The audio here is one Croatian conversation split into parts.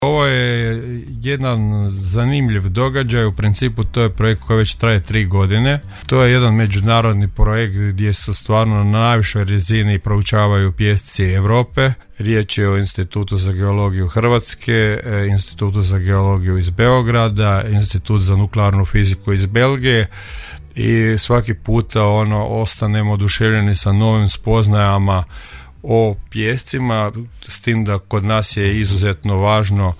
Ovo je jedan zanimljiv događaj, u principu to je projekt koji već traje 3 godine. To je jedan međunarodni projekt gdje su stvarno na najvišoj razini proučavaju pijesci Europe. Riječ je o Institutu za geologiju Hrvatske, Institutu za geologiju iz Beograda, Institut za nuklearnu fiziku iz Belgije. I svaki puta ostanemo oduševljeni sa novim spoznajama o pijescima, s tim da kod nas je izuzetno važno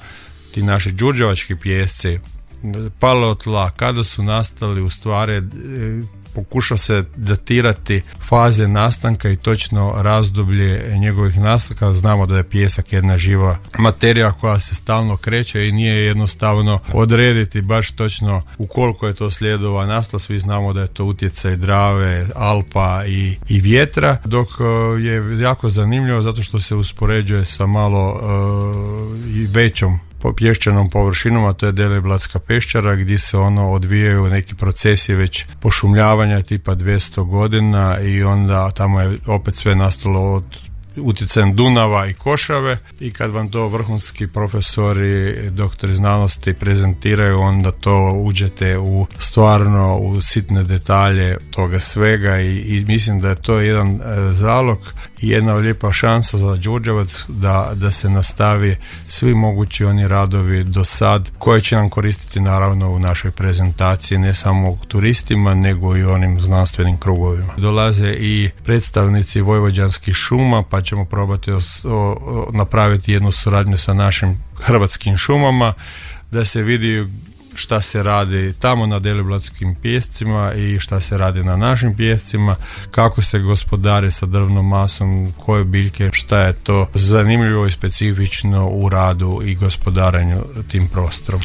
ti naši đurđevački pijesci, paleotla, kada su nastali, u stvari pokuša se datirati faze nastanka i točno razdoblje njegovih nastanka. Znamo da je pijesak jedna živa materija koja se stalno kreće i nije jednostavno odrediti baš točno u koliko je to sljedova nastalo. Svi znamo da je to utjecaj Drave, Alpa i vjetra, dok je jako zanimljivo zato što se uspoređuje sa malo i većom pješčanom površinom, a to je Deliblatska peščara, gdje se odvijaju neki procesi već pošumljavanja tipa 200 godina i onda tamo je opet sve nastalo od utjecajem Dunava i Košave, i kad vam to vrhunski profesori, doktori znanosti prezentiraju, onda to uđete u sitne detalje toga svega i mislim da je to jedan zalog i jedna lijepa šansa za Đurđevac da se nastavi svi mogući oni radovi do sad koje će nam koristiti naravno u našoj prezentaciji, ne samo turistima nego i onim znanstvenim krugovima. Dolaze i predstavnici vojvođanskih šuma, pa ćemo probati napraviti jednu suradnju sa našim hrvatskim šumama, da se vidi šta se radi tamo na Deliblatskim pijescima i šta se radi na našim pijescima, kako se gospodari sa drvnom masom, koje biljke, šta je to zanimljivo i specifično u radu i gospodarenju tim prostorom.